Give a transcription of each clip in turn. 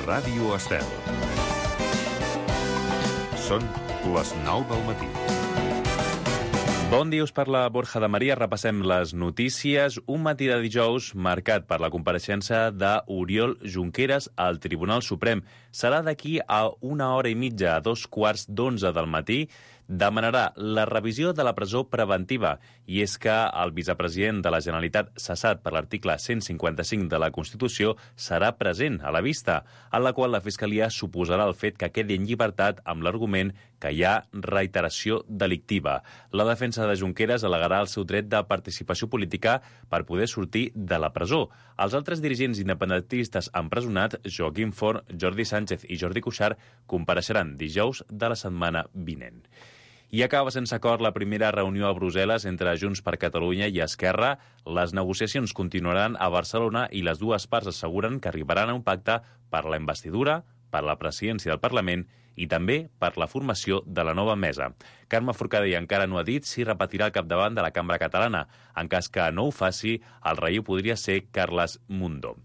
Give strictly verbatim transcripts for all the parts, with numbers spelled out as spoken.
Ràdio Estel. Són les nou del matí. Bon dia, us parla Borja de Maria. Repassem les notícies. Un matí de dijous marcat per la compareixença d'Oriol Junqueras al Tribunal Suprem. Serà d'aquí a una hora i mitja, a dos quarts d'onze del matí. Demanarà la revisió de la presó preventiva, i és que el vicepresident de la Generalitat, cessat per l'article cent cinquanta-cinc de la Constitució, serà present a la vista, en la qual la Fiscalia suposarà el fet que quedi en llibertat amb l'argument que hi ha reiteració delictiva. La defensa de Junqueras al·legarà el seu dret de participació política per poder sortir de la presó. Els altres dirigents independentistes empresonats, Joaquim Forn, Jordi Sánchez i Jordi Cuixart, compareixeran dijous de la setmana vinent. I acaba sense acord la primera reunió a Brussel·les entre Junts per Catalunya i Esquerra. Les negociacions continuaran a Barcelona i les dues parts asseguren que arribaran a un pacte per la investidura, per la presidència del Parlament i també per la formació de la nova mesa. Carme Forcadell encara no ha dit si repetirà al capdavant de la cambra catalana. En cas que no ho faci, el relleu podria ser Carles Mundó.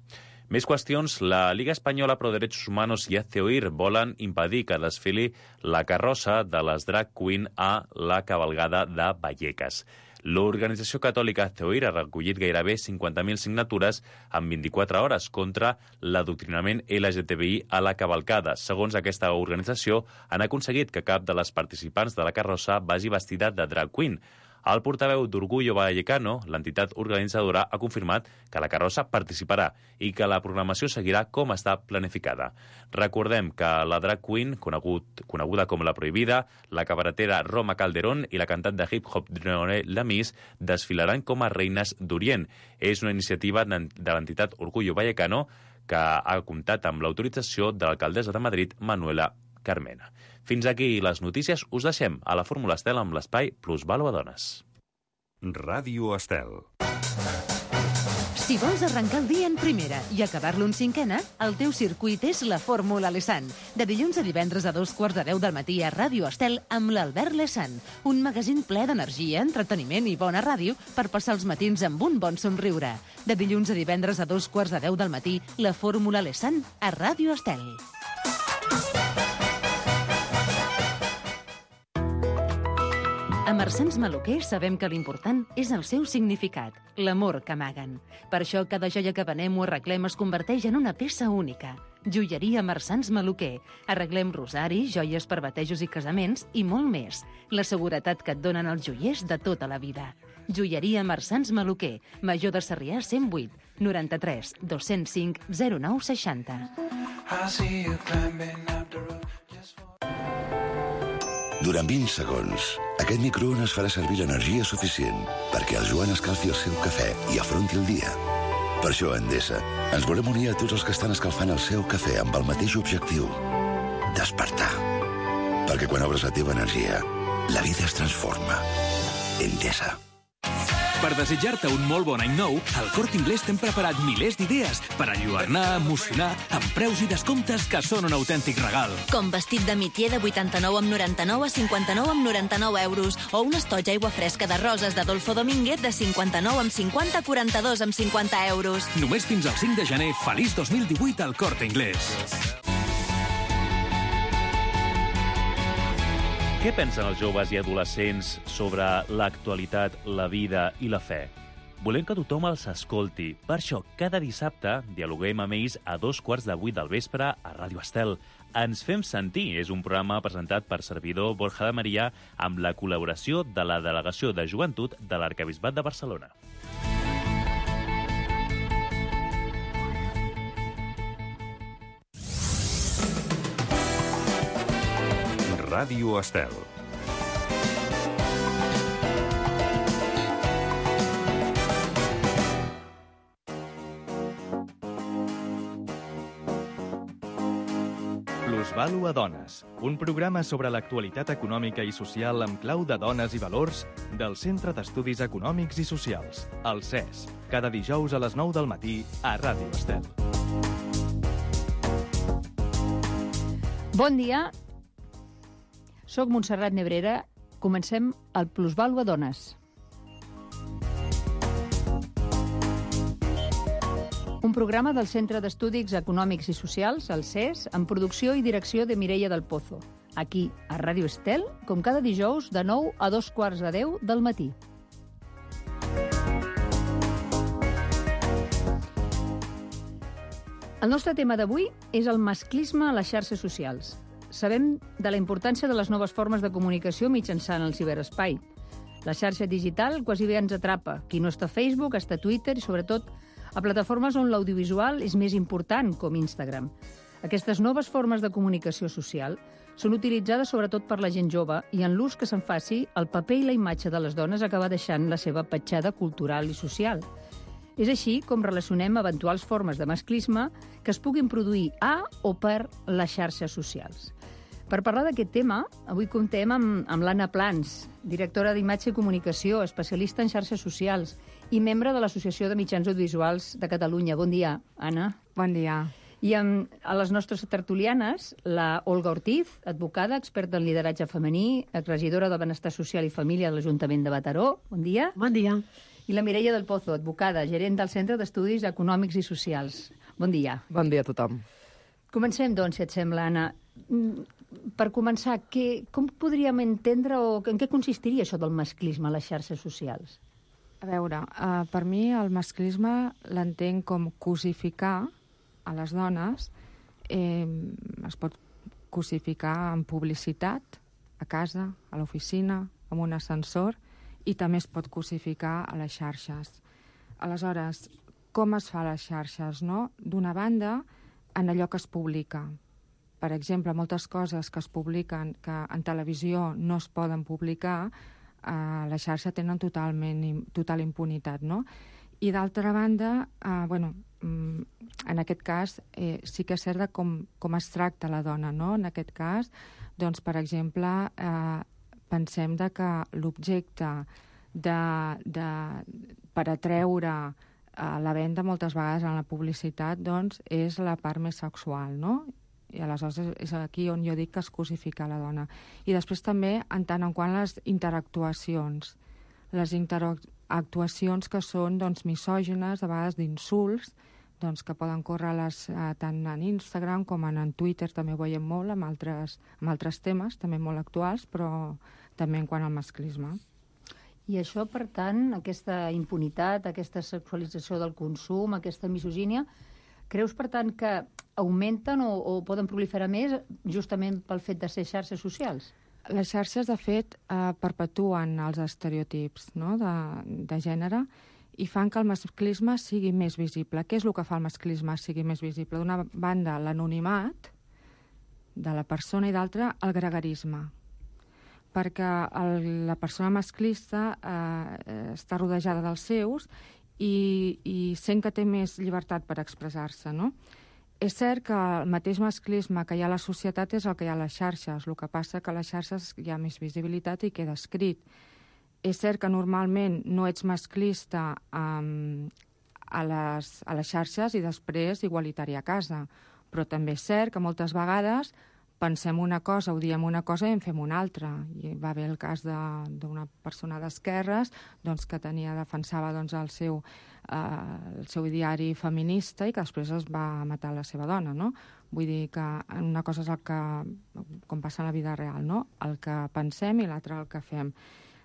Més qüestions. La Liga Espanyola Pro Derechos Humanos i Hazte Oír volen impedir que desfili la carrossa de les drag queen a la cavalgada de Vallecas. L'organització catòlica Hazte Oír ha recollit gairebé cinquanta mil signatures en vint-i-quatre hores contra l'adoctrinament L G T B I a la cavalcada. Segons aquesta organització, han aconseguit que cap de les participants de la carrossa vagi vestida de drag queen. El portaveu d'Orgullo Vallecano, l'entitat organitzadora, ha confirmat que la carrossa participarà i que la programació seguirà com està planificada. Recordem que la drag queen, conegut, coneguda com la Prohibida, la cabaretera Roma Calderón i la cantant de hip-hop Dronée Lamis desfilaran com a reines d'Orient. És una iniciativa de l'entitat Orgullo Vallecano que ha comptat amb l'autorització de l'alcaldessa de Madrid, Manuela Carmena. Fins aquí les notícies. Us deixem a la Fórmula Estel amb l'espai Plusvàlua Dones. Ràdio Estel. Si vols arrencar el dia en primera i acabar-lo en cinquena, el teu circuit és la Fórmula Lesan. De dilluns a divendres a dos quarts de deu del matí a Ràdio Estel amb l'Albert Lesan. Un magazín ple d'energia, entreteniment i bona ràdio per passar els matins amb un bon somriure. De dilluns a divendres a dos quarts de deu del matí, la Fórmula Lesan a Ràdio Estel. A Marsans Maluquer sabem que l'important és el seu significat, l'amor que amaguen. Per això cada joia que venem o arreglem es converteix en una peça única. Joieria Marsans Maluquer. Arreglem rosaris, joies per batejos i casaments i molt més. La seguretat que et donen els joiers de tota la vida. Joieria Marsans Maluquer. Major de Sarrià cent vuit, noranta-tres, dos-cents cinc, zero nou seixanta. Durant vint segons, aquest microones farà servir l'energia suficient perquè el Joan escalfi el seu cafè i afronti el dia. Per això, a Endesa, ens volem unir a tots els que estan escalfant el seu cafè amb el mateix objectiu: despertar. Perquè quan obres la teva energia, la vida es transforma. Endesa. Per desitjar-te un molt bon any nou, al Corte Inglés t'hem preparat milers d'idees per enlluernar, emocionar, amb preus i descomptes que són un autèntic regal. Com vestit de mitier de vuitanta-nou amb noranta-nou a cinquanta-nou amb noranta-nou euros o un estoig aigua fresca de roses d'Adolfo Domínguez de cinquanta-nou amb cinquanta a quaranta-dos amb cinquanta euros. Només fins al cinc de gener. Feliç dos mil divuit al Corte Inglés. Què pensen els joves i adolescents sobre l'actualitat, la vida i la fe? Volem que tothom els escolti. Per això, cada dissabte dialoguem amb ells a dos quarts de vuit del vespre a Ràdio Estel. Ens fem sentir és un programa presentat per servidor Borja de Maria amb la col·laboració de la Delegació de Joventut de l'Arquebisbat de Barcelona. Ràdio Estel. Plusvàlua Dones, un programa sobre l'actualitat econòmica i social amb clau de dones i valors del Centre d'Estudis Econòmics i Socials, el C E S, cada dijous a les nou del matí a Ràdio Estel. Bon dia. Soc Montserrat Nebrera. Comencem el Plusvàlua Dones. Un programa del Centre d'Estudis Econòmics i Socials, el C E S, amb producció i direcció de Mireia del Pozo. Aquí, a Ràdio Estel, com cada dijous, de nou a dos quarts de deu del matí. El nostre tema d'avui és el masclisme a les xarxes socials. Sabem de la importància de les noves formes de comunicació mitjançant el ciberespai. La xarxa digital quasi bé ens atrapa. Qui no està a Facebook, està a Twitter i, sobretot, a plataformes on l'audiovisual és més important, com Instagram. Aquestes noves formes de comunicació social són utilitzades sobretot per la gent jove i en l'ús que se'n faci, el paper i la imatge de les dones acaba deixant la seva petjada cultural i social. És així com relacionem eventuals formes de masclisme que es puguin produir a o per les xarxes socials. Per parlar d'aquest tema, avui comptem amb, amb l'Anna Plans, directora d'Imatge i Comunicació, especialista en xarxes socials i membre de l'Associació de Mitjans Audiovisuals de Catalunya. Bon dia, Anna. Bon dia. I amb a les nostres tertulianes, la Olga Ortiz, advocada, experta en lideratge femení, exregidora de Benestar Social i Família de l'Ajuntament de Mataró. Bon dia. Bon dia. I la Mireia del Pozo, advocada, gerent del Centre d'Estudis Econòmics i Socials. Bon dia. Bon dia a tothom. Comencem, doncs, si et sembla, Anna. Per començar, què, com podríem entendre o en què consistiria això del masclisme a les xarxes socials? A veure, uh, per mi el masclisme l'entenc com cosificar a les dones. Eh, es pot cosificar en publicitat, a casa, a l'oficina, en un ascensor, i també es pot cosificar a les xarxes. Aleshores, com es fa a les xarxes, no? D'una banda, en allò que es publica. Per exemple, moltes coses que es publiquen que en televisió no es poden publicar, a la xarxa tenen totalment, total impunitat, no? I d'altra banda, eh, bueno, en aquest cas eh, sí que és cert de com, com es tracta la dona, no? En aquest cas, doncs, per exemple, eh, pensem de que l'objecte de, de, per atreure eh, la venda moltes vegades en la publicitat, doncs, és la part més sexual, no? I aleshores és aquí on jo dic que es cosifica la dona. I després també, en tant en quant les interactuacions, les interactuacions que són doncs, misògines, a vegades d'insults, doncs, que poden córrer les, eh, tant en Instagram com en, en Twitter, també ho veiem molt, amb altres, amb altres temes, també molt actuals, però també en quant al masclisme. I això, per tant, aquesta impunitat, aquesta sexualització del consum, aquesta misogínia, creus, per tant, que augmenten o, o poden proliferar més justament pel fet de ser xarxes socials? Les xarxes, de fet, eh, perpetuen els estereotips, no?, de, de gènere i fan que el masclisme sigui més visible. Què és el que fa el masclisme sigui més visible? D'una banda, l'anonimat de la persona i d'altra, el gregarisme. Perquè el, la persona masclista eh, està rodejada dels seus i, i sent que té més llibertat per expressar-se, no? És cert que el mateix masclisme que hi ha a la societat és el que hi ha a les xarxes. El que passa que a les xarxes hi ha més visibilitat i queda escrit. És cert que normalment no ets masclista um, a, les, a les xarxes i després igualitari a casa. Però també és cert que moltes vegades pensem una cosa, ho diem una cosa i en fem una altra. I va haver el cas d'una persona d'esquerres doncs, que tenia, defensava doncs, el, seu, eh, el seu diari feminista i que després es va matar la seva dona, no? Vull dir que una cosa és el que, com passa en la vida real, no? El que pensem i l'altra el que fem.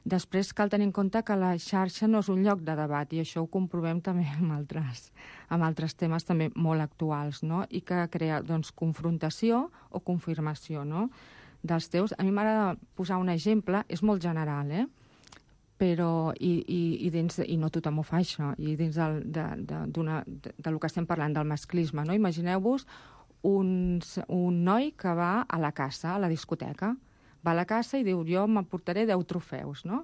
Després cal tenir en compte que la xarxa no és un lloc de debat i això ho comprovem també amb altres, amb altres temes també molt actuals, no? I que crea doncs, confrontació o confirmació, no? Dels teus. A mi m'agrada posar un exemple, és molt general, eh? Però, i, i, i, dins, i no tothom ho fa això, i dins del, de, de, d'una, de, de lo que estem parlant del masclisme, no? Imagineu-vos un, un noi que va a la caça, a la discoteca, va a la caça i diu, jo m'emportaré deu trofeus, no?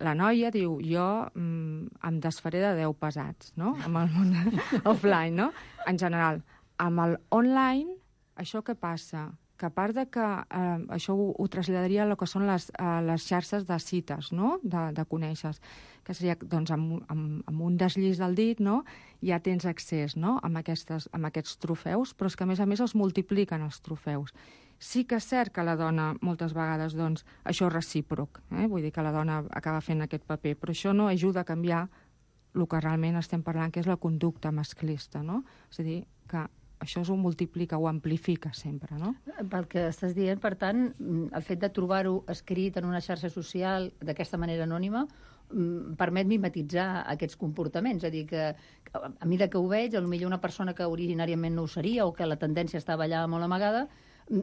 La noia diu, jo mm, em desfaré de deu pesats, no? Amb el món offline, no? En general. Amb el online, això què passa? Que a part de que eh, això ho, ho traslladaria a el que són les, eh, les xarxes de cites, no? De, de conèixer, que seria, doncs, amb, amb, amb un deslliç del dit, no? Ja tens accés, no? Amb, aquestes, amb aquests trofeus, però és que, a més a més, els multipliquen els trofeus. Sí que és cert que la dona, moltes vegades, doncs, això és recíproc, eh? Vull dir que la dona acaba fent aquest paper, però això no ajuda a canviar el que realment estem parlant, que és la conducta masclista, no? És a dir, que això ho multiplica, ho amplifica sempre, no? Pel que estàs dient, per tant, el fet de trobar-ho escrit en una xarxa social d'aquesta manera anònima permet mimetitzar aquests comportaments. És a dir, que a mesura que ho veig, potser una persona que originàriament no ho seria o que la tendència estava allà molt amagada,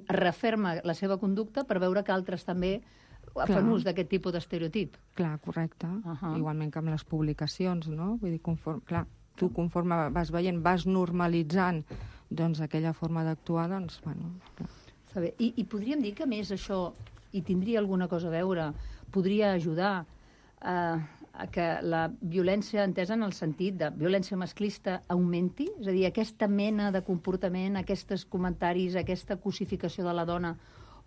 referma la seva conducta per veure que altres també fan ús d'aquest tipus d'estereotip. Clar, correcte. Igualment que amb les publicacions, no? Vull dir, conforme, clar, tu conforme vas veient, vas normalitzant doncs aquella forma d'actuar, doncs, bueno... Està bé. I, I podríem dir que, més, això, i tindria alguna cosa a veure, podria ajudar a, a que la violència, entesa en el sentit de violència masclista, augmenti? És a dir, aquesta mena de comportament, aquests comentaris, aquesta cosificació de la dona,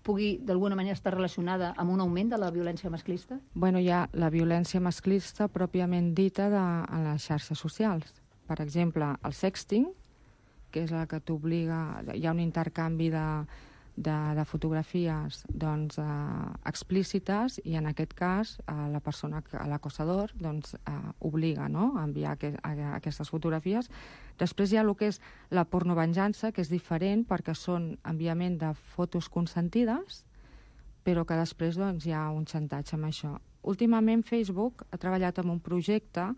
pugui, d'alguna manera, estar relacionada amb un augment de la violència masclista? Bueno, hi ha la violència masclista pròpiament dita de, en les xarxes socials. Per exemple, el sexting, que és la que t'obliga... Hi ha un intercanvi de, de, de fotografies doncs, eh, explícites i, en aquest cas, eh, la persona, l'acossador, doncs, eh, obliga, no?, a enviar que, a, a aquestes fotografies. Després hi ha el que és la pornovenjança, que és diferent perquè són enviament de fotos consentides, però que després doncs, hi ha un xantatge amb això. Últimament, Facebook ha treballat en un projecte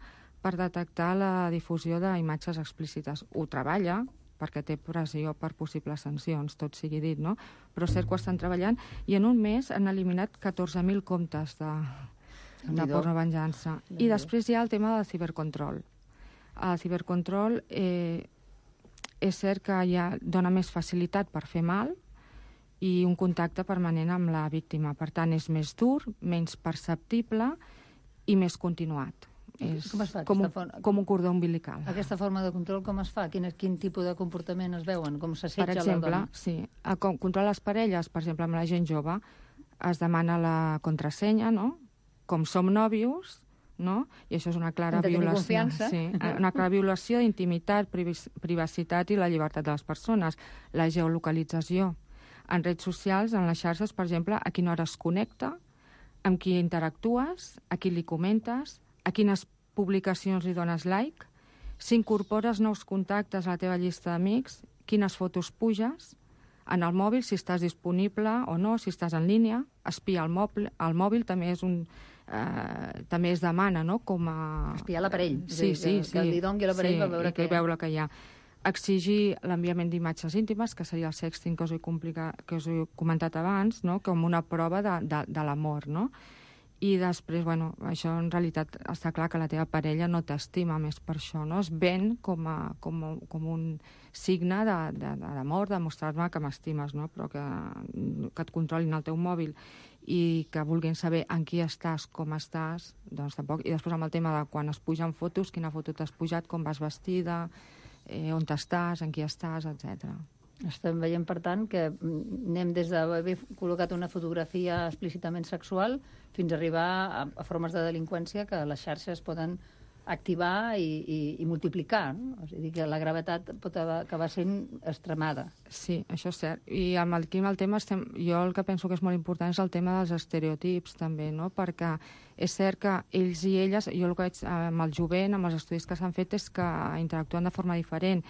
per detectar la difusió d'imatges explícites. Ho treballa, perquè té pressió per possibles sancions, tot sigui dit, no? Però és cert que ho estan treballant i en un mes han eliminat catorze mil comptes de, de pornovenjança. I després hi ha el tema del cibercontrol. El cibercontrol eh, és cert que ja dona més facilitat per fer mal i un contacte permanent amb la víctima. Per tant, és més dur, menys perceptible i més continuat. És com, es fa, com, un, forma, com un cordó umbilical. Aquesta forma de control com es fa? Quin, quin tipus de comportament es veuen? Com s'assetja la dona? Per exemple, sí. A controlar les parelles, per exemple, amb la gent jove, es demana la contrasenya, no? Com som nòvios, no? I això és una clara violació. Sí, una clara violació d'intimitat, privacitat i la llibertat de les persones. La geolocalització. En redes socials, en les xarxes, per exemple, a quina hora es connecta, amb qui interactues, a qui li comentes, a quines publicacions li dones like, si incorpores nous contactes a la teva llista d'amics, quines fotos puges, en el mòbil, si estàs disponible o no, si estàs en línia, espiar el mòbil, el mòbil també és un... Eh, també es demana, no?, com a... Espiar l'aparell, sí, sí, que, sí, que li doni l'aparell sí, per veure que... veure que hi ha. Exigir l'enviament d'imatges íntimes, que seria el sexting que us he, complica... que us he comentat abans, no?, com una prova de, de, de l'amor, no?, i després, bueno, això en realitat està clar que la teva parella no t'estima més per això, no? Es ven com, a, com, a, com un signe d'amor, de, de mostrar-me que m'estimes, no? Però que, que et controlin el teu mòbil i que vulguin saber en qui estàs, com estàs, doncs tampoc. I després amb el tema de quan es pugen fotos, quina foto t'has pujat, com vas vestida, eh, on estàs, en qui estàs, etcètera. Estem veient, per tant, que anem des d'haver col·locat una fotografia explícitament sexual fins a arribar a, a formes de delinqüència que les xarxes poden activar i, i, i multiplicar, no? És a dir, que la gravetat pot acabar sent extremada. Sí, això és cert. I amb el, aquí amb el tema, estem, jo el que penso que és molt important és el tema dels estereotips, també, no? Perquè és cert que ells i elles, jo el que veig amb el jovent, amb els estudis que s'han fet, és que interactuen de forma diferent.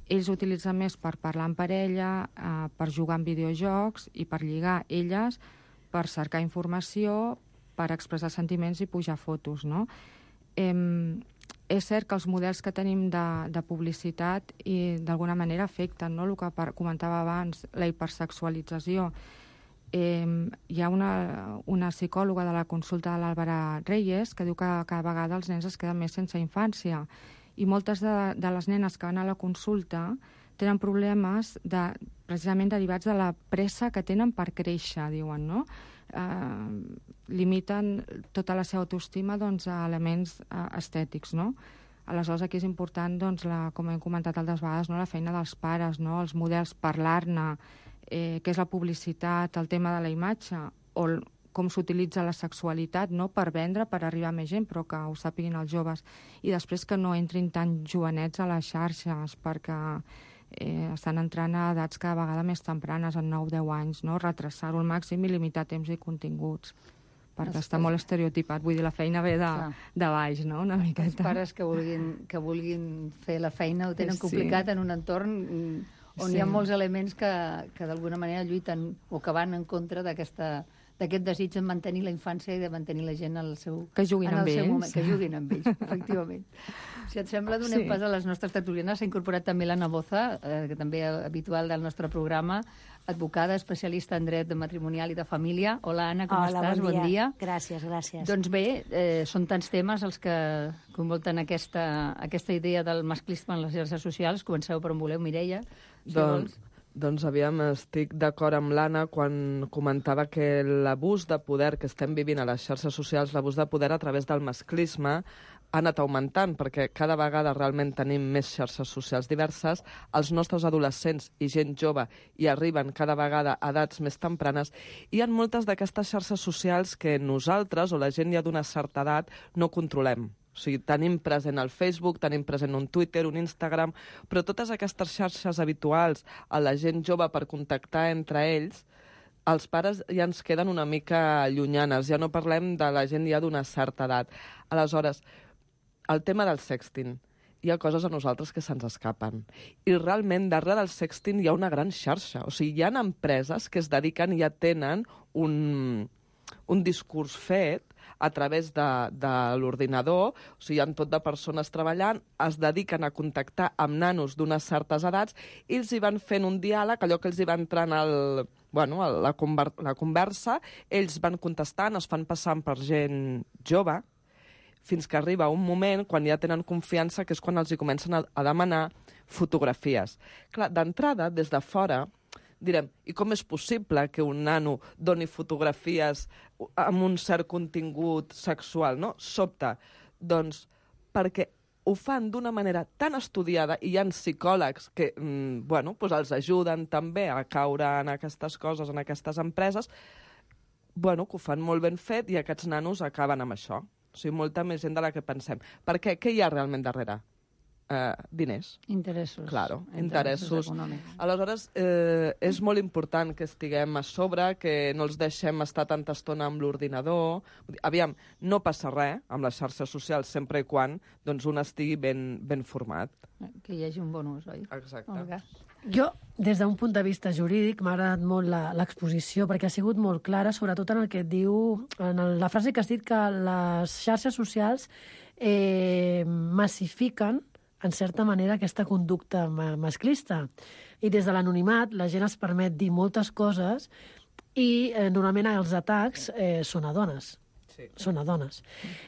Ells utilitzen més per parlar en parella, eh, per jugar en videojocs i per lligar elles, per cercar informació, per expressar sentiments i pujar fotos, no? Eh, és cert que els models que tenim de, de publicitat i d'alguna manera afecten, no?, el que per, comentava abans, la hipersexualització. Eh, hi ha una, una psicòloga de la consulta de l'Àlvara Reyes que diu que cada vegada els nens es queden més sense infància i moltes de, de les nenes que van a la consulta tenen problemes de, precisament derivats de la pressa que tenen per créixer, diuen, no? Eh, limiten tota la seva autoestima, doncs, a elements eh, estètics, no? Aleshores, aquí és important, doncs, la, com hem comentat altres vegades, no?, la feina dels pares, no?, els models, parlar-ne, eh, què és la publicitat, el tema de la imatge, o el, com s'utilitza la sexualitat, no?, per vendre, per arribar a més gent, però que ho sàpiguin els joves. I després que no entrin tan jovenets a les xarxes, perquè eh, estan entrant a edats cada vegada més tempranes, en nou deu anys, no?, retrasar-ho al màxim i limitar temps i continguts. perquè està molt estereotipat. Vull dir, la feina ve de, de baix, no?, una miqueta. Els pares que vulguin, que vulguin fer la feina ho tenen Sí. complicat en un entorn on Sí. hi ha molts elements que, que d'alguna manera lluiten o que van en contra d'aquesta d'aquest desig de mantenir la infància i de mantenir la gent al seu, Que juguin en el amb seu ells. moment, que juguin amb ells, efectivament. Si et sembla, donem Sí. pas a les nostres tertulianes. S'ha incorporat també l'Anna Boza, eh, que també és habitual del nostre programa, advocada, especialista en dret matrimonial i de família. Hola, Anna, com Hola, estàs? bon dia. Bon dia. Gràcies, gràcies. Doncs bé, eh, són tants temes els que convolten aquesta, aquesta idea del masclisme en les xarxes socials. Comenceu per on voleu, Mireia, si Doncs, vols. doncs aviam, estic d'acord amb l'Anna quan comentava que l'abús de poder que estem vivint a les xarxes socials, l'abús de poder a través del masclisme, ha anat augmentant, perquè cada vegada realment tenim més xarxes socials diverses, els nostres adolescents i gent jove hi arriben cada vegada a edats més tempranes, i hi ha moltes d'aquestes xarxes socials que nosaltres, o la gent ja d'una certa edat, no controlem. O sigui, tenim present el Facebook, tenim present un Twitter, un Instagram, però totes aquestes xarxes habituals a la gent jove per contactar entre ells, els pares ja ens queden una mica llunyanes, ja no parlem de la gent ja d'una certa edat. Aleshores, el tema del sexting. Hi ha coses a nosaltres que se'ns escapen. I realment, darrere del sexting hi ha una gran xarxa. O sigui, hi ha empreses que es dediquen i ja tenen un, un discurs fet a través de, de l'ordinador, o sigui, hi ha tot de persones treballant, es dediquen a contactar amb nanos d'unes certes edats i els hi van fent un diàleg, allò que els hi va entrant al, bueno, a la, conver la conversa, ells van contestant, es fan passant per gent jove, fins que arriba un moment, quan ja tenen confiança, que és quan els hi comencen a, a demanar fotografies. Clar, d'entrada, des de fora, direm, i com és possible que un nano doni fotografies amb un cert contingut sexual, no? Sobte. Doncs perquè ho fan d'una manera tan estudiada i hi ha psicòlegs que mm, bueno, pues els ajuden també a caure en aquestes coses, en aquestes empreses, bueno, que ho fan molt ben fet i aquests nanos acaben amb això. O sigui, molta més gent de la que pensem. Per què? Què hi ha realment darrere? Uh, diners. Interessos. Claro, interessos. interessos. Econòmics. Aleshores, eh, és molt important que estiguem a sobre, que no els deixem estar tanta estona amb l'ordinador. Aviam, no passa res amb les xarxes socials sempre i quan doncs, un estigui ben, ben format. Que hi hagi un bon ús, oi? Exacte. Olga. Jo, des d'un punt de vista jurídic, m'ha agradat molt l'exposició, perquè ha sigut molt clara, sobretot en el que et diu, en el, la frase que has dit, que les xarxes socials eh, massifiquen, en certa manera, aquesta conducta masclista. I des de l'anonimat la gent es permet dir moltes coses i eh, normalment els atacs eh, són a dones. Sí. Són a dones.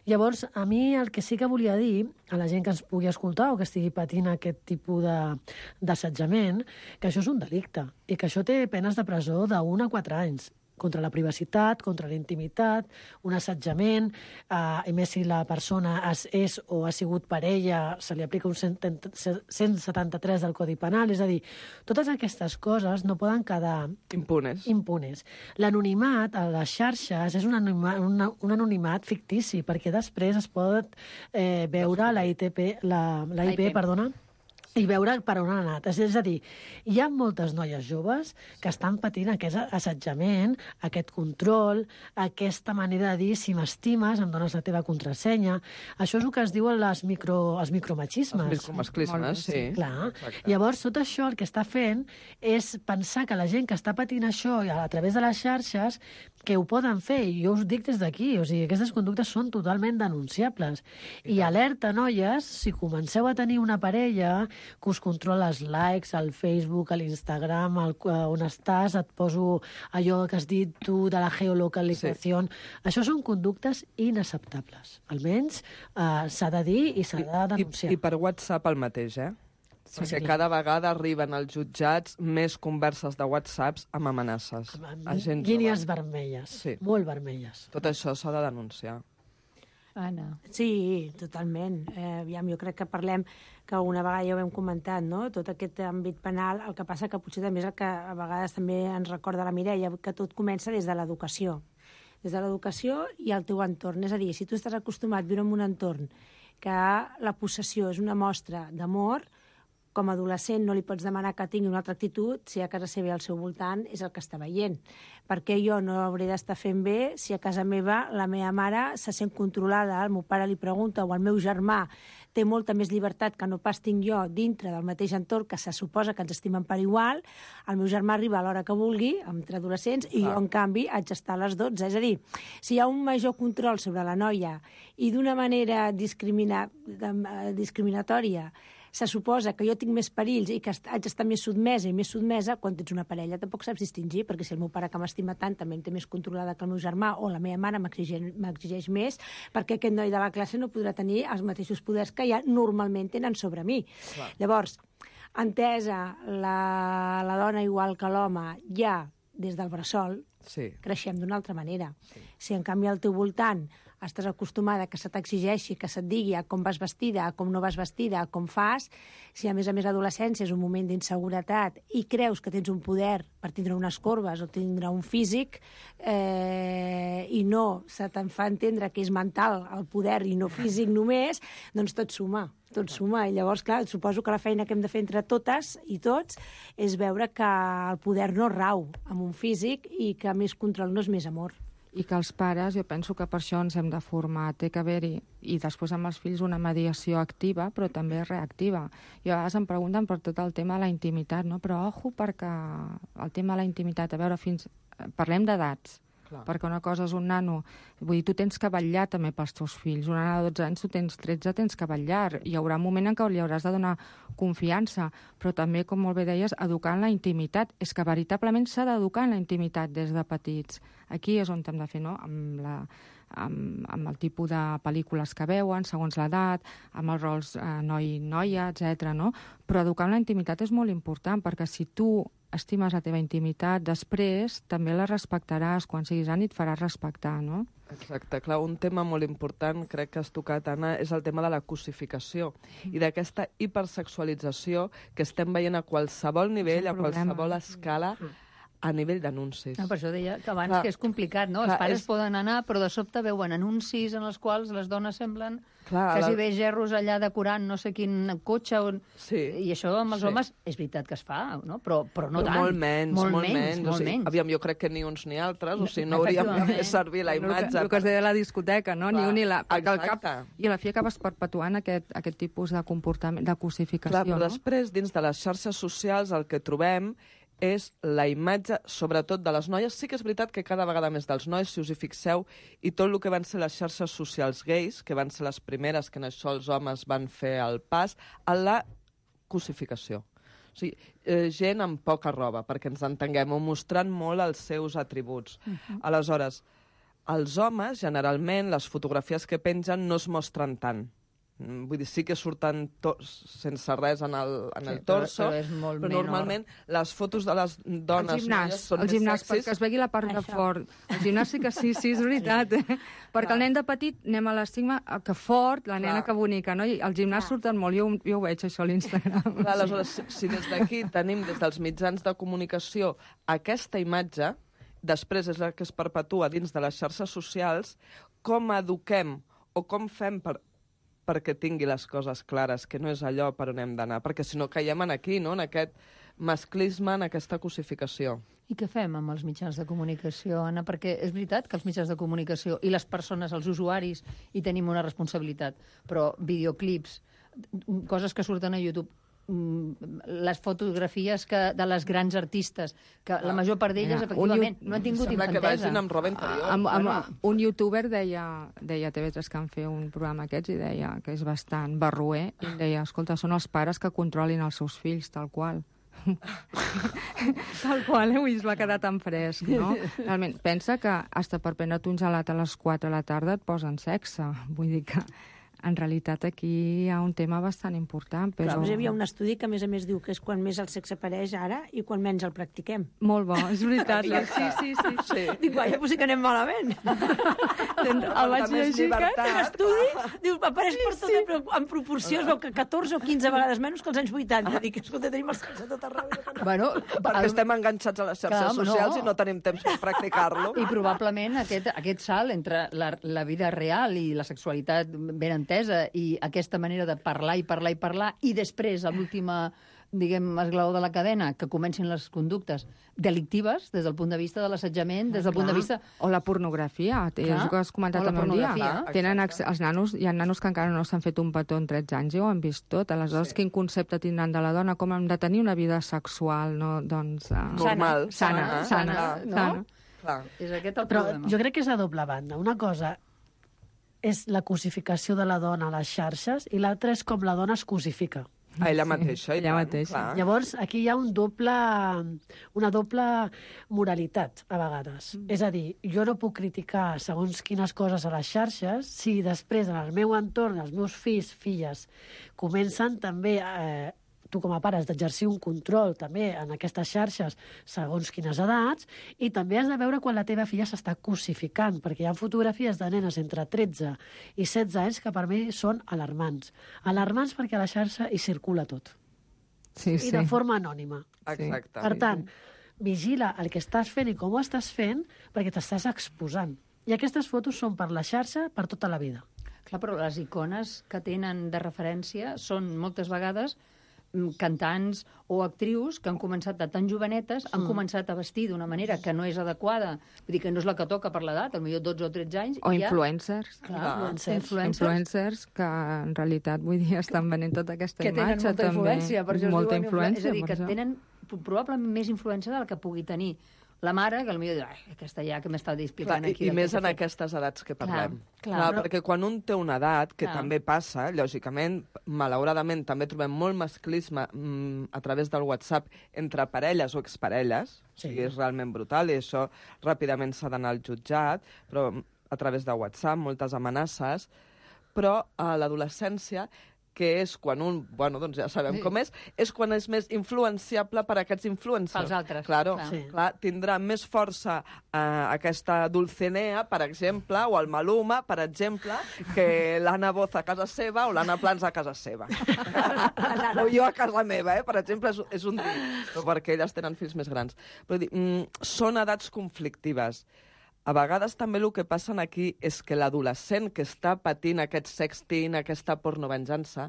Llavors, a mi el que sí que volia dir a la gent que ens pugui escoltar o que estigui patint aquest tipus d'assetjament, que això és un delicte i que això té penes de presó d'un a quatre anys. Contra la privacitat, contra la intimitat, un assetjament, eh, i més si la persona és, és o ha sigut parella, se li aplica un cent setanta-tres del Codi Penal, és a dir, totes aquestes coses no poden quedar impunes. impunes. L'anonimat a les xarxes és un anonimat, una, un anonimat fictici, perquè després es pot eh, veure la I T P, la, la I P, perdona, i veure per on han anat. És a dir, hi ha moltes noies joves que estan patint aquest assetjament, aquest control, aquesta manera de dir si m'estimes, em dones la teva contrasenya. Això és el que es diuen les micro, els micromachismes. Els micromasclismes, sí. Clar. Exacte. Llavors, tot això el que està fent és pensar que la gent que està patint això a través de les xarxes, que ho poden fer, i jo us dic des d'aquí, o sigui, aquestes conductes són totalment denunciables. I, I alerta, noies, si comenceu a tenir una parella que us controla els likes, al Facebook, a l'Instagram, on estàs, et poso allò que has dit tu de la geolocalització. Sí. Això són conductes inacceptables. Almenys eh, s'ha de dir i s'ha de denunciar. I, I per WhatsApp el mateix, eh? Sí, perquè cada vegada arriben als jutjats més converses de WhatsApps amb amenaces. Amb línies vermelles, sí. Molt vermelles. Tot això s'ha de denunciar. Anna. Sí, totalment. Eh, aviam, jo crec que parlem, que una vegada ja ho hem comentat, no? Tot aquest àmbit penal, el que passa que potser també és el que a vegades també ens recorda la Mireia, que tot comença des de l'educació. Des de l'educació i el teu entorn. És a dir, si tu estàs acostumat a viure en un entorn que la possessió és una mostra d'amor, com a adolescent no li pots demanar que tingui una altra actitud si a casa seva al seu voltant és el que està veient. Perquè jo no hauré d'estar fent bé si a casa meva la meva mare se sent controlada, el meu pare li pregunta o el meu germà té molta més llibertat que no pas tinc jo dintre del mateix entorn que se suposa que ens estimen per igual, el meu germà arriba a l'hora que vulgui, entre adolescents, i jo, en canvi, haig d'estar a les dotze. És a dir, si hi ha un major control sobre la noia i d'una manera discrimina... discriminatòria se suposa que jo tinc més perills i que haig d'estar més sotmesa i més sotmesa, quan tens una parella tampoc saps distingir, perquè si el meu pare que m'estima tant també em té més controlada que el meu germà o la meva mare m'exigeix més, perquè aquest noi de la classe no podrà tenir els mateixos poders que ja normalment tenen sobre mi. Clar. Llavors, entesa la, la dona igual que l'home ja des del bressol, sí. creixem d'una altra manera. Sí. Si en canvi al teu voltant estàs acostumada que se t'exigeixi, que se't digui a com vas vestida, a com no vas vestida, a com fas, si a més a més l'adolescència és un moment d'inseguretat i creus que tens un poder per tindre unes corbes o tindre un físic eh, i no se te'n fa entendre que és mental el poder i no físic només, doncs tot suma. Tot suma, i llavors, clar, suposo que la feina que hem de fer entre totes i tots és veure que el poder no rau en un físic i que més control no és més amor. I que els pares, jo penso que per això ens hem de formar, té que haver-hi, i després amb els fills, una mediació activa, però també reactiva. I a vegades em pregunten per tot el tema de la intimitat, no? Però ojo, perquè el tema de la intimitat, a veure, fins... parlem d'edats, clar. Perquè una cosa és un nano, vull dir, tu tens que vetllar també pels teus fills, una nana de dotze anys, tu tens tretze, tens que vetllar, hi haurà un moment en què li hauràs de donar confiança, però també, com molt bé deies, educar en la intimitat, és que veritablement s'ha d'educar en la intimitat des de petits. Aquí és on hem de fer, no?, amb la... Amb, amb el tipus de pel·lícules que veuen, segons l'edat, amb els rols eh, noi-noia, etcètera, no? Però educar en la intimitat és molt important, perquè si tu estimes la teva intimitat, després també la respectaràs, quan siguis gran i et faràs respectar, no? Exacte, clar, un tema molt important, crec que has tocat, Anna, és el tema de la cosificació i d'aquesta hipersexualització que estem veient a qualsevol nivell, a qualsevol escala, a nivell d'anuncis. No, per això deia que abans clar, que és complicat, no? Els clar, pares és... poden anar, però de sobte veuen anuncis en els quals les dones semblen clar, quasi la... bé gerros allà decorant no sé quin cotxe. On... Sí. I això amb els sí. homes és veritat que es fa, no? Però, però no però tant. Molt menys, molt, molt menys. menys. Molt O sigui, menys. aviam, jo crec que ni uns ni altres, o sigui, no hauríem de fer servir la imatge. El que, el que es deia a la discoteca, no? Clar, ni un ni la... Perquè al cap, i a la fi acabes perpetuant aquest, aquest tipus de comportament, de cosificació. Clar, però no? després, dins de les xarxes socials, el que trobem és la imatge, sobretot de les noies. Sí que és veritat que cada vegada més dels nois, si us hi fixeu, i tot el que van ser les xarxes socials gais, que van ser les primeres que en això els homes van fer el pas, a la cosificació. O sigui, eh, gent amb poca roba, perquè ens entenguem, o mostrant molt els seus atributs. Uh-huh. Aleshores, els homes, generalment, les fotografies que pengen no es mostren tant. Vull dir, sí que surten sense res en el, en sí, el torso, però, però, és molt però menor. Normalment les fotos de les dones el gimnàs, són el més gimnàs, sexis. perquè es vegi la part Això. de fort. El gimnàs sí que sí, sí, és veritat. Eh? Perquè el nen de petit, anem a l'estigma, que fort, la nena Clar. que bonica, no? I el gimnàs Clar. surten molt, jo, jo ho veig, això, a l'Instagram. Aleshores, si, si des d'aquí tenim, des dels mitjans de comunicació, aquesta imatge, després és la que es perpetua dins de les xarxes socials, com eduquem o com fem per perquè tingui les coses clares, que no és allò per on hem d'anar, perquè si no caiem en aquí, no? En aquest masclisme, en aquesta cosificació. I què fem amb els mitjans de comunicació, Anna? Perquè és veritat que els mitjans de comunicació i les persones, els usuaris, hi tenim una responsabilitat, però videoclips, coses que surten a YouTube, les fotografies que, de les grans artistes, que ah, la major part d'elles, efectivament, no han tingut sembla infantesa. Sembla que vagin amb roba interior. Amb, amb, amb, un youtuber deia, deia a T V tres que en fer un programa aquests i deia que és bastant barroer, i deia, escolta, són els pares que controlin els seus fills, tal qual. tal qual, eh? Es va quedar tan fresc, no? Realment, pensa que hasta per prendre't un gelat a les quatre de la tarda et posen sexe. Vull dir que en realitat aquí hi ha un tema bastant important. Però... Clar, hi havia un estudi que a més a més diu que és quan més el sexe apareix ara i quan menys el practiquem. Molt bo, és veritat. sí, sí, sí. sí. Dic, vaja, potser que anem malament. El vaig llegir aquest estudi, diu, apareix per tot, sí. però en proporció es veu que catorze o quinze vegades menys que els anys vuitanta. Dic, escolta, tenim el sexe tot arreu. Bueno, perquè el... estem enganxats a les xarxes Clar, socials no. i no tenim temps per practicar-lo. I probablement aquest, aquest salt entre la, la vida real i la sexualitat ben entesa infantesa i aquesta manera de parlar i parlar i parlar, i després, a l'última, diguem, esglaó de la cadena, que comencin les conductes delictives des del punt de vista de l'assetjament, des del punt de vista... O la pornografia, és el que has comentat també un dia. Tenen els nanos, hi ha nanos que encara no s'han fet un petó en tretze anys i ho han vist tot. Aleshores, quin concepte tindran de la dona, com hem de tenir una vida sexual, no? Doncs... Normal. Sana, sana, sana. Clar. És aquest el Però problema. jo crec que és a doble banda. Una cosa és la cosificació de la dona a les xarxes i l'altra és com la dona es cosifica. A ella mateixa. Ella mateixa. Llavors, aquí hi ha un doble, una doble moralitat, a vegades. Mm. És a dir, jo no puc criticar segons quines coses a les xarxes si després, en el meu entorn, els meus fills, filles, comencen també... Eh, tu com a pare has d'exercir un control també en aquestes xarxes segons quines edats, i també has de veure quan la teva filla s'està cosificant, perquè hi ha fotografies de nenes entre tretze i setze anys que per mi són alarmants. Alarmants perquè a la xarxa hi circula tot. Sí, I de forma anònima. Exacte. Per tant, vigila el que estàs fent i com ho estàs fent, perquè t'estàs exposant. I aquestes fotos són per la xarxa per tota la vida. Clar, però les icones que tenen de referència són moltes vegades cantants o actrius que han començat de tan jovenetes, han mm. començat a vestir d'una manera que no és adequada, vull dir que no és la que toca per l'edat, potser dotze o tretze anys. O ja... influencers. Clar, influencers. influencers. Influencers que en realitat, vull dir, estan venent tota aquesta que imatge. Que tenen molta també. influència. Per això molta diuen, influència. És a dir, que tenen probablement més influència del que pugui tenir la mare, que potser diu, ai, aquesta ja que m'està explicant clar, aquí. I, i més en aquestes edats que parlem. Clar, clar, clar però... perquè quan un té una edat, que clar. també passa, lògicament, malauradament, també trobem molt masclisme mm, a través del WhatsApp entre parelles o exparelles, sí. I és realment brutal, i això ràpidament s'ha d'anar al jutjat, però a través de WhatsApp, moltes amenaces, però a l'adolescència, que és quan un, bueno, doncs ja sabem sí. com és, és quan és més influenciable per aquests influencers. Pels altres. Claro, clar. Sí. Clar, tindrà més força eh, aquesta Dulcinea, per exemple, o el Maluma, per exemple, que l'Anna Boz a casa seva o l'Anna Plans a casa seva. O jo a casa meva, eh? Per exemple, és, és un dir, però perquè elles tenen fills més grans. Però dir, mm, són edats conflictives. A vegades també el que passa aquí és que l'adolescent que està patint aquest sexting, aquesta pornovenjança,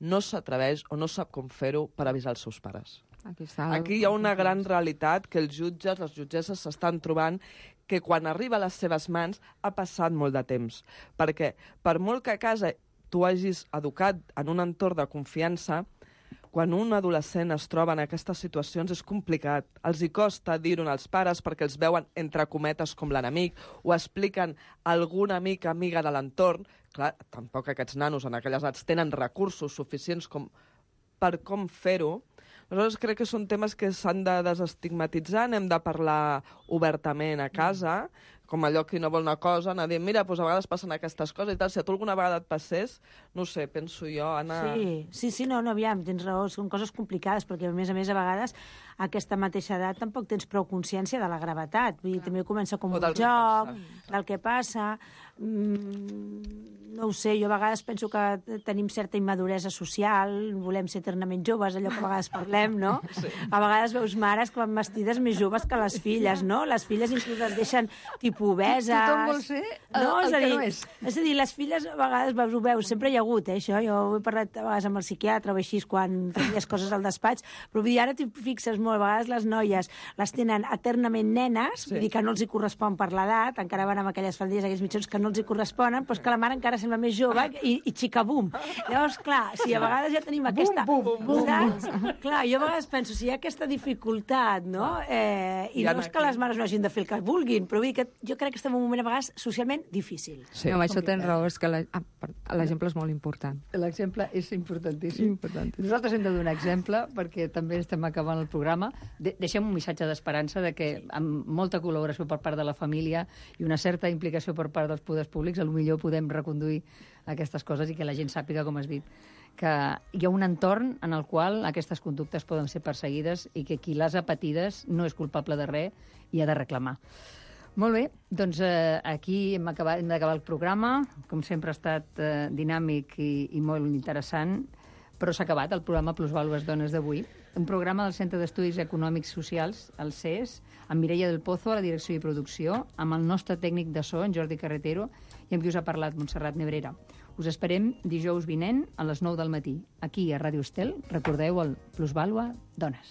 no s'atreveix o no sap com fer-ho per avisar els seus pares. Aquí, està aquí hi ha una gran realitat que els jutges, les jutgesses s'estan trobant que quan arriba a les seves mans ha passat molt de temps. Perquè per molt que a casa tu hagis educat en un entorn de confiança, quan un adolescent es troba en aquestes situacions és complicat. Els hi costa dir-ho als pares perquè els veuen entre cometes com l'enemic o expliquen a algun amic, amiga de l'entorn. Clar, tampoc aquests nanos en aquelles edats tenen recursos suficients com per com fer-ho. Aleshores, crec que són temes que s'han de desestigmatitzar, n'hem de parlar obertament a casa, com allò que no vol una cosa, anar dient, mira, doncs a vegades passen aquestes coses i tal. Si a tu alguna vegada et passés, no sé, penso jo, Anna... Sí, sí, sí, no, no, aviam, tens raó, són coses complicades, perquè a més a més a vegades a aquesta mateixa edat tampoc tens prou consciència de la gravetat. Vull dir, també comença com un joc, del que passa... Mm, no ho sé, jo a vegades penso que tenim certa immaduresa social, volem ser eternament joves, allò que a vegades parlem, no? Sí. A vegades veus mares que van vestides més joves que les filles, no? Les filles inclús les deixen tipus obeses... Tothom vol ser el, no, el és que dir, no és. És a dir, les filles a vegades veus, ho veus, sempre hi ha hagut, eh, això. Jo he parlat a vegades amb el psiquiatre o així quan tenies coses al despatx, però vull dir, ara t'hi fixes molt, a vegades les noies les tenen eternament nenes, sí. Vull dir que no els hi correspon per l'edat, encara van amb aquelles faldilles, aquells mitjons que no els hi corresponen, però és que la mare encara sembla més jove i, i xica-bum. Llavors, clar, si a vegades ja tenim aquesta... Bum, bum, bum, bum. Clar, jo a vegades penso, si hi ha aquesta dificultat, no? Eh, I no és que les mares no hagin de fer el que vulguin, però vull dir que jo crec que estem en un moment a vegades socialment difícil. Sí, no, això tens raó, és que l'exemple és molt important. L'exemple és importantíssim. importantíssim. Nosaltres hem de donar exemple, perquè també estem acabant el programa. De deixem un missatge d'esperança de que amb molta col·laboració per part de la família i una certa implicació per part dels poders públics, potser podem reconduir aquestes coses i que la gent sàpiga, com has dit, que hi ha un entorn en el qual aquestes conductes poden ser perseguides i que qui les ha patides no és culpable de res i ha de reclamar. Molt bé, doncs eh, aquí hem, acabat, hem d'acabar el programa. Com sempre ha estat eh, dinàmic i, i molt interessant, però s'ha acabat el programa Plusvàlues Dones d'avui. Un programa del Centre d'Estudis Econòmics Socials, el C E S, amb Mireia del Pozo a la direcció i producció, amb el nostre tècnic de so, en Jordi Carretero, i amb qui us ha parlat, Montserrat Nebrera. Us esperem dijous vinent a les nou del matí. Aquí, a Ràdio Estel, recordeu el Plusvàlua Dones.